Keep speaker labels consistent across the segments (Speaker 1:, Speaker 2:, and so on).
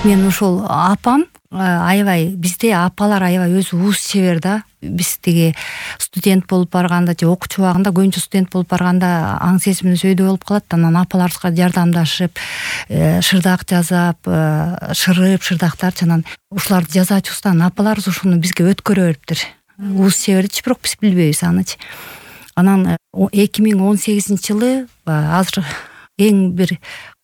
Speaker 1: Мен ошол апам аябай, бизде апалар аябай өзү уус чебер да. Биз тиги студент болуп барганда же окуучу убагында, көбүнчө студент болуп барганда аң сезимибиз өйдө болуп калат. Анан апаларыбызга жардамдашып, шырдак жасап, шырып, шырдактарчы, анан ушуларды жасаачыбыздан апаларыбыз ушуну бизге өткөрө бериптир. Уус чебердичи, бирок биз билбейбиз анычы. Анан 2018-жылы азыр эң бир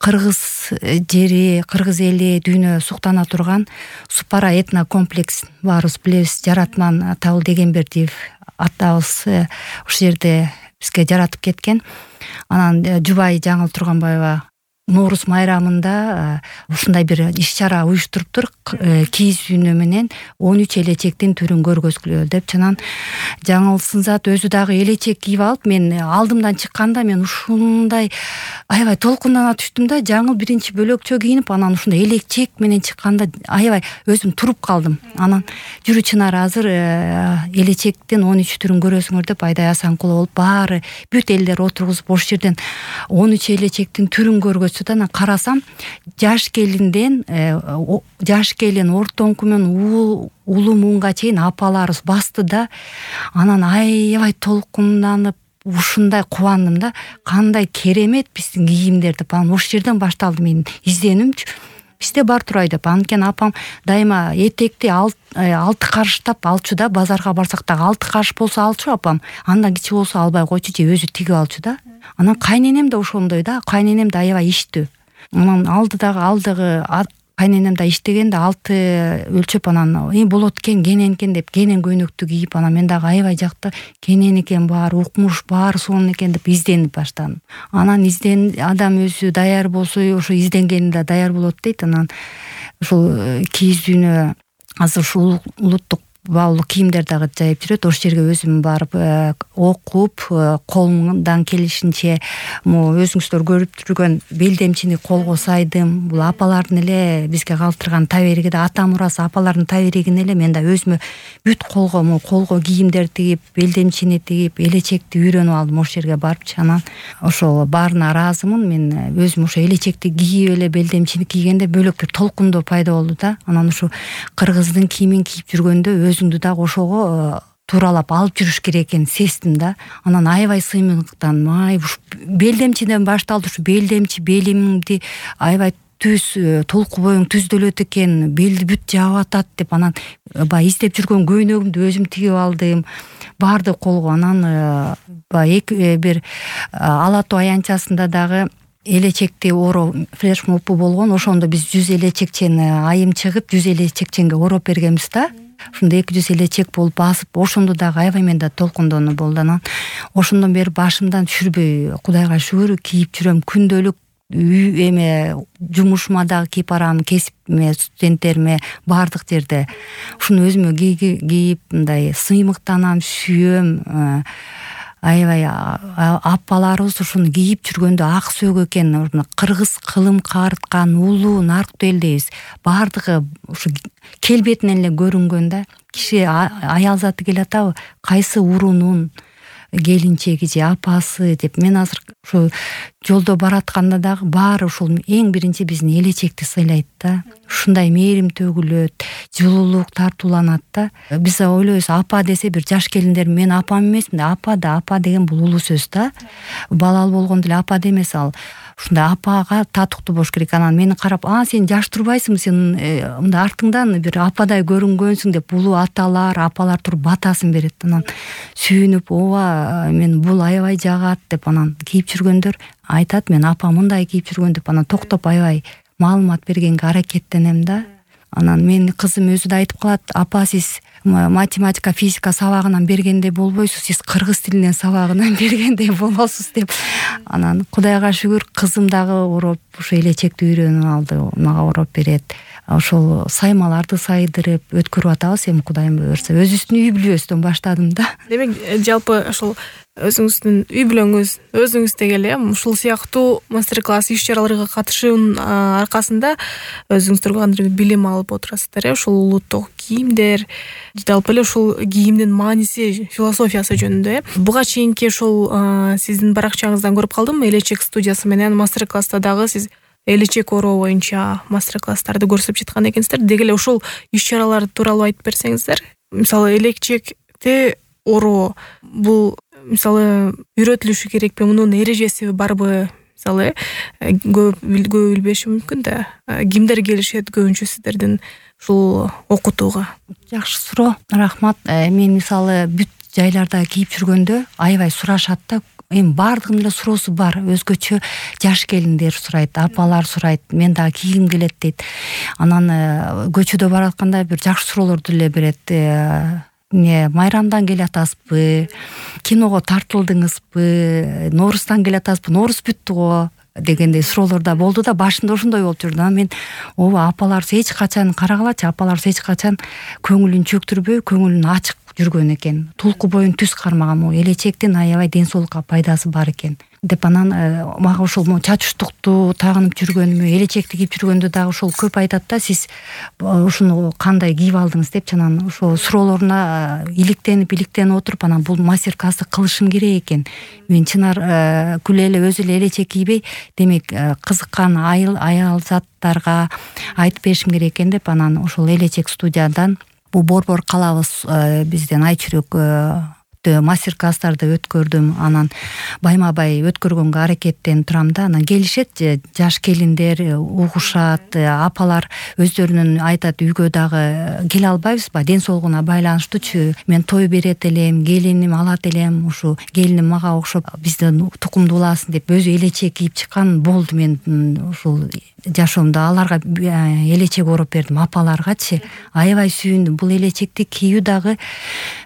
Speaker 1: кыргыз жери, кыргыз эли дүйнө суктана турган Супара этно комплекс баарыбыз билебиз. Жаратман Табыл Дегенбердиев атабыз ушул жерде бизге жаратып кеткен. Анан жубайы Жаңыл Турганбаева Нооруз майрамында ушундай бир иш-чара уюштуруптур. Кийиз үйнө менен 13 элечектин түрүн көргөзгүлө деп. Анан Жаңыл Сынзат өзү дагы элечек кийип алып, мен алдымдан чыкканда мен ушундай аябай толкундана түштүм да. Жаңыл биринчи бөлөкчө кийинип, анан ушундай элечек менен чыкканда аябай өзүм туруп калдым. Анан жүрү Чынар азыр элечектин 13 түрүн көрөсүңөр деп Айдай Асанкулова болуп баары бүт элдер отургузуп ошол жерден 13 элечектин түрүн көргөзсө, анан карасам жаш келинден жаш келин ортоңку менен улуу муунга чейин апаларыбыз басты да. Анан аябай толкунданып ушундай кубандым да. Кандай керемет биздин кийимдер деп. Анан ошол жерден башталды менин изденүүмчү. Бизде бар турай деп. Анткени апам дайыма этекти 6 карыштап алчу да. Базарга барсак дагы 6 карыш болсо алчу апам. Андан кичи болсо албай койчу же өзү тигип алчу да. Анан кайненем да ошондой да. Кайненем да аябай иштүү. Анан алдыгы кайненем да иштеген да 6 өлчөп, анан болот экен, кенен экен деп кенен көйнөктү кийип, анан мен дагы аябай жакты кенен экен, баары укмуш, баары сонун экен деп изденип баштадым. Анан адам өзү даяр болсо ошо изденгенде даяр болот дейт. Анан ушул кийиз үйнө азыр ушул улуттук баалуу кийимдер дагы жайып жүрөт. Ошол жерге өзүм барып окуп, колумдан келишинче өзүңүздөр көрүп жүргөн белдемчини колго сайдым. Бул апалардын эле бизге калтырган табериги да, ата мурасы апалардын таберигин эле мен да өзүмө бүт колго кийимдер тигип, белдемчини тигип, элечекти үйрөнүп алдым ошол жерге барыпчы. Анан ошол баарына ыраазымын. Мен өзүм ошо элечекти кийип эле белдемчини кийгенде бөлөк бир толкундоо пайда болду да. Анан ушу кыргыздын кийимин кийип жүргөндө өзүңдү дагы ошого тууралап алып жүрүш керек экенин сездим да. Анан аябай сыймыктандым. Ушу белдемчиден башталды. Ушу белдемчи белимди аябай түз, толку боюң түздөлөт экен, белди бүт жаап атат деп. Анан баягы издеп жүргөн көйнөгүмдү өзүм тигип алдым. Барды колго. Анан бир Ала Тоо аянтчасында дагы элечекти ороо флешмобу болгон. Ошондо биз 100 элечекчени айым чыгып 100 элечекченге ороп бергенбиз да. Ушунда 200 элечек болуп басып, ошондо дагы аябай менде толкундонуу болду. Анан ошондон бери башымдан түшүрбөй, Кудайга шүгүр, кийип жүрөм. Күндөлүк жумушума дагы кийип барам, кесипме, студенттериме, баардык жерде. Ушуну өзүмө кийип мындай сыймыктанам, сүйөм. Аябай апаларыбыз ушуну кийип жүргөндө ак сөөгө экен, кыргыз кылым карыткан улуу нарктуу эл дейбиз. Баардыгы ушу келбетинен эле көрүнгөн да. Киши аял заты келатабы, кайсы урунун келинчеги же апасы деп. Мен азыр ушу жолдо баратканда дагы баары ушул эң биринчи биздин элечекти сыйлайт да. Ушундай мээрим төгүлөт, жылуулук тартууланат да. Биз ойлойбуз, апа десе бир жаш келиндер, мен апам эмесмин да. Апа деген бул улуу сөз да. Балалуу болгондо эле апа демес, ал ушундай апага татыктуу болуш керек. Анан мени карап, сен жаш турбайсыңбы, сен мындай артыңдан бир ападай көрүнгөнсүң деп улуу аталар, апалар туруп батасын берет. Анан сүйүнүп, ооба, мен бул аябай жагат деп. Анан кийип жүргөндөр айтат, мен апа мындай кийип жүргөн деп. Анан токтоп аябай маалымат бергенге аракеттенем да. Анан менин кызым өзү да айтып калат, апа сиз математика, физика сабагынан бергендей болбойсуз, сиз кыргыз тилинен сабагынан бергендей болосуз деп. Анан Кудайга шүгүр, кызым дагы ороп, ушу элечекти үйрөнүп алды, мага ороп берет. Ошол саймаларды сайдырып өткөрүп атабыз, эми Кудайым буйрса. Өзүбүздүн үй бүлөбүздөн баштадым да.
Speaker 2: Демек, жалпы ошол өзүңүздүн үй бүлөңүз, өзүңүздө эле ушул сыяктуу мастер-класс иш-чараларга катышуунун аркасында өзүңүздөр кандайдыр бир билим алып отурасыздар. Ушул улуттук кийимдер, жалпы эле ушул кийимдин мааниси, философиясы жөнүндө. Буга чейинки ушул сиздин баракчаңыздан көрүп калдым, элечек студиясы менен мастер-класста дагы сиз элечек ороо боюнча мастер-класстарды көрсөтүп жаткан экенсиздер. Деги эле ошол иш-чаралар тууралуу айтып берсеңиздер. Мисалы элечекте ороо бул мисалы үйрөтүлүшү керекпи, мунун эрежеси барбы? Мисалы көп билбеши мүмкүн да. Кимдер келишет көбүнчө сиздердин ушул окутууга?
Speaker 1: Жакшы суроо, рахмат. Мен мисалы бүт жайларда кийип жүргөндө аябай сурашат да. Эми баардыгынын эле суроосу бар. Өзгөчө жаш келиндер сурайт, апалар сурайт, мен дагы кийгим келет дейт. Анан көчөдө баратканда бир жакшы суроолорду эле берет. Майрамдан келатасызбы? Киного тартылдыңызбы? Нооруздан келатасызбы? Ноорус бүттү го дегендей суроолор да болду да, башында ошондой болуп жүрдү. Анан мен ооба апаларыбыз эч качан карагылачы, апаларыбыз эч качан көңүлүн чөктүрбөй, көңүлүн ачык жүргөн экен. Тулку боюн түз кармаган, могу элечектин аябай ден соолукка пайдасы бар экен деп. Анан мага ошол чачуштукту тагынып жүргөнүмө, элечекти кийип жүргөндө дагы ошол көп айтат да, сиз ушуну кандай кийип алдыңыз депчи. Анан ошол суроолоруна иликтенип отуруп, анан бул мастер-классты кылышым керек экен. Мен чынар күлө эле өзү эле элечек кийбей, демек кызыккан аял заттарга айтып беришим керек экен деп, анан ошол элечек студиядан бул Борбор калабыз бизден Айчүрөк мастер-класстарды өткөрдүм. Анан байма-бай өткөргөнгө аракеттенип турам да. Анан келишет жаш келиндер, угушат, апалар өздөрүнүн айтат, үйгө дагы келе албайбызбы, ден соолугуна байланыштуучу. Мен той берет элем, келиним алат элем, ушу келиним мага окшоп биздин тукумдууласын деп өзү элечек кийип чыккан болду. Мен ушул жашоомдо аларга элечек ороп бердим, апаларгачы. Аябай сүйүндүм. Бул элечекти кийүү дагы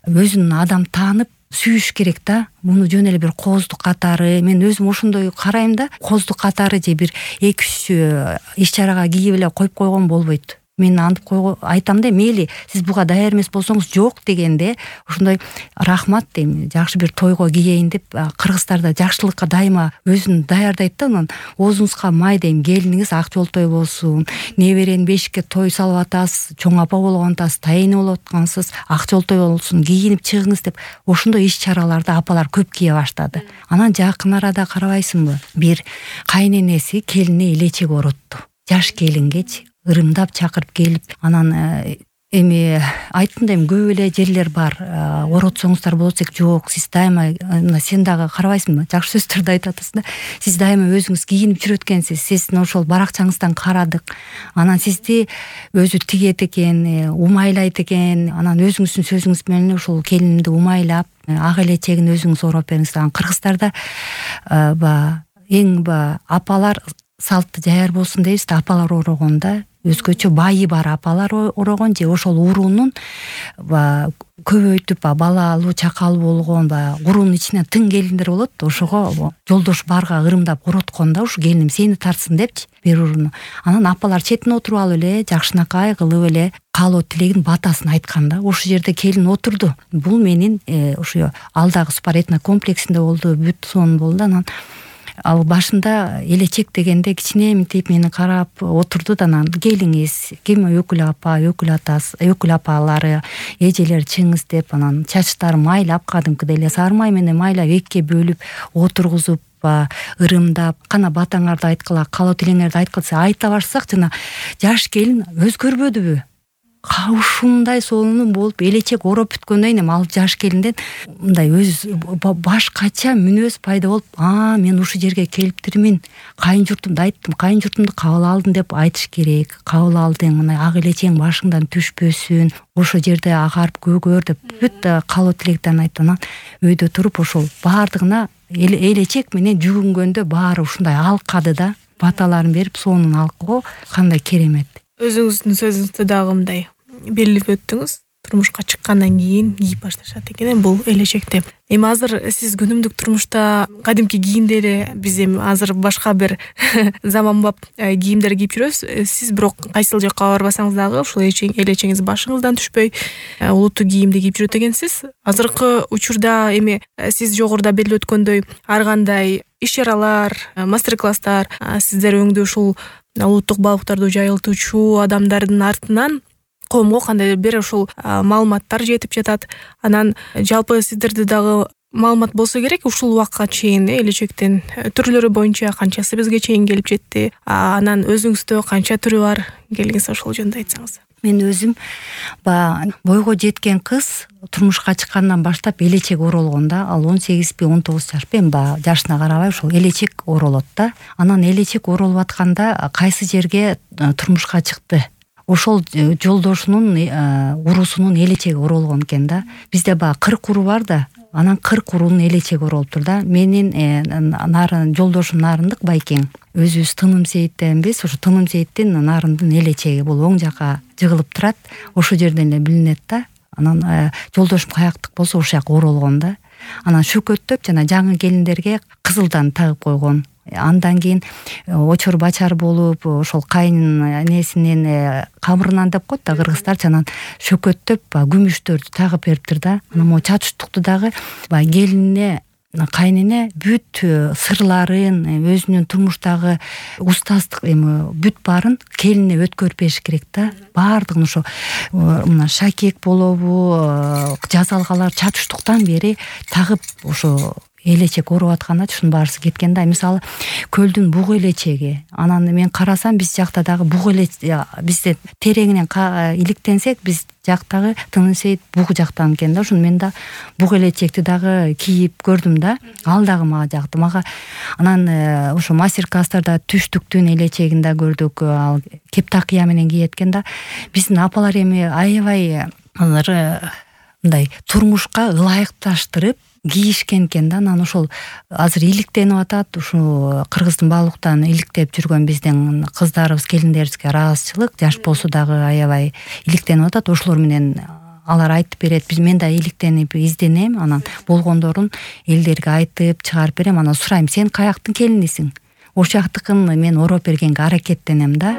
Speaker 1: өзүн адам таанып сүйүш керек да. Муну жөн эле бир кооздук катары, мен өзүм ошондой карайм да, кооздук катары же бир 2-3 иш-чарага кийип эле коюп койгон болбойт. Мен антип айтам да, мейли сиз буга даяр эмес болсоңуз жок дегенде, ошондой рахмат дейм, жакшы бир тойго кийейин деп. Кыргыздарда жакшылыкка дайыма өзүн даярдайт да. Анан оозуңузга май дейм, келиниңиз ак жолтой болсун, неберени бешикке той салып атасыз, чоң апа болгон атасыз, тайыны болуп аткансыз, ак жолтой болсун, кийинип чыгыңыз деп. Ошондой иш-чараларды апалар көп кие баштады. Анан жакын арада карабайсыңбы, бир кайненеси келине элечек оротту. Жаш келингечи ырымдап чакырып келип, анан эми айттым да, эми көп эле жерлер бар, оротсоңуздар болот десек, жок, сиз дайыма, сен дагы карабайсыңбы, жакшы сөздөрдү айтып атасың да, сиз дайыма өзүңүз кийинип жүрөт экенсиз, сиздин ошол баракчаңыздан карадык, анан сизди өзү тигет экен, умайлайт экен, анан өзүңүздүн сөзүңүз менен ошол келинимди умайлап, ак элечегин өзүңүз ороп бериңиз. Анан кыргыздарда эң апалар салты жаяр болсун дейбиз да, апалар орогондо өзгөчө байы бар апалар орогон же ошол уруунун көбөйтүп балалуу, чакалуу болгон куруунун ичинен тың келиндер болот да, ошого жолдош барга ырымдап ороткон да, ушу келиним сени тартсын депчи бир урууну. Анан апалар четине отуруп алып эле жакшынакай кылып эле каалоо тилегин, батасын айткан да. Ошол жерде келин отурду. Бул менин ушу алдагы Супар этнокомплексинде болду, бүт сон болду. Анан ал башында элечек дегенде кичине мынтип мени карап отурду да, анан келиңиз, ким өкүл апа, өкүл атасы, өкүл апалары, эжелер чыңыз деп, анан чачтарын майлап, кадимкидей эле сары май менен майлап экиге бөлүп отургузуп, ырымдап, кана батаңарды айткыла, каалоо тилеңерди айткыла айта башсак, жана жаш келин өзгөрбөдүбү? Ушундай сонун болуп элечек ороп бүткөндөн кийин ал жаш келинден мындай өз башкача мүнөз пайда болуп, мен ушул жерге келиптирмин, кайын журтумду айттым, кайын журтумду кабыл алдым деп айтыш керек. Кабыл алдың, мына ак элечең башыңдан түшпөсүн, ошол жерде агарып көгөр деп бүт каалоо тилектерин айтты. Анан өйдө туруп ошол баардыгына элечек менен жүгүнгөндө баары ушундай алкады да, баталарын берип сонун алкоо кандай керемет.
Speaker 2: Өзүңүздүн сөзүңүздө дагы мындай белгилеп өттүңүз, турмушка чыккандан кийин кийип башташат экен бул элечекти. Эми азыр сиз күнүмдүк турмушта кадимки кийимдери, биз эми азыр башка бир заманбап кийимдер кийип жүрөбүз. Сиз бирок кайсыл жакка барбасаңыз дагы ушул элечеңиз башыңыздан түшпөй улуттуу кийимди кийип жүрөт экенсиз. Азыркы учурда эми сиз жогоруда белгилеп өткөндөй ар кандай иш-чаралар, мастер-класстар сиздер өңдүү ушул улуттук балыктарды жайылтуучу адамдардын артынан коомго кандайдыр бир ушул маалыматтар жетип жатат. Анан жалпы сиздерди дагы маалымат болсо керек. Ушул убакка чейин элечектин түрлөрү боюнча канчасы бизге чейин келип жетти, анан өзүңүздө канча түрү бар, келиңиз ошол жөнүндө айтсаңыз.
Speaker 1: Мен өзүм бойго жеткен кыз турмушка чыккандан баштап элечек оролгон да. Ал 18 19 жашпы, эми жашына карабай ошол элечек оролот да. Анан элечек оролуп атканда кайсы жерге турмушка чыкты, ошол жолдошунун уруусунун элечеги оролгон экен да. Бизде 40 уру бар да. Анан 40 урунун элечеги оролуптур да. Менин жолдошум Нарындык Байкең. Өзүбүз Тыным Сейиттенбиз. Ошо Тыным Сейиттин Нарындын элечеги бул оң жака жыгылып турат. Ошол жерден эле билинет да. Анан жолдошум каяктык болсо ошол жака оролгон да. Анан шөкөттөп жана жаңы келиндерге кызылдан тагып койгон. Андан кийин очор бачар болуп, ошол кайненесинин камырынан деп коет да кыргыздарчы, анан шөкөттөп күмүштөрдү тагып бериптир да. Анан могу чачуштукту дагы келинине, кайнене бүт сырларын, өзүнүн турмуштагы устаздык бүт баарын келинине өткөрүп бериш керек да. Баардыгын ошо мына шакек болобу, жазалгалар чачуштуктан бери тагып ошо элечек ороп атканда ушунун баарысы кеткен да. Мисалы көлдүн буг элечеги. Анан мен карасам биз жакта дагы буг бизде тереңинен иликтенсек, биз жактагы Тыным Сейит буг жактан экен да. Ошону мен да буг элечекти дагы кийип көрдүм да. Ал дагы мага жакты. Анан ошо мастер-класстарда түштүктүн элечегин да көрдүк. Ал кептакыя менен кийет экен да. Биздин апалар эми аябай мындай турмушка ылайыкташтырып кийишкен экен да. Анан ошол азыр иликтенип атат. Ушу Кыргыздын баалуктан иликтеп жүргөн биздин кыздарыбыз, келиндерибизге ыраазычылык, жаш болсо дагы аябай иликтенип атат. Ошолор менен алар айтып берет. Мен да иликтенип изденем. Анан болгондорун элдерге айтып чыгарып берем. Анан сурайм: сен каяктын келинисиң? Ошол жактыкын мен ороп бергенге аракеттенем да.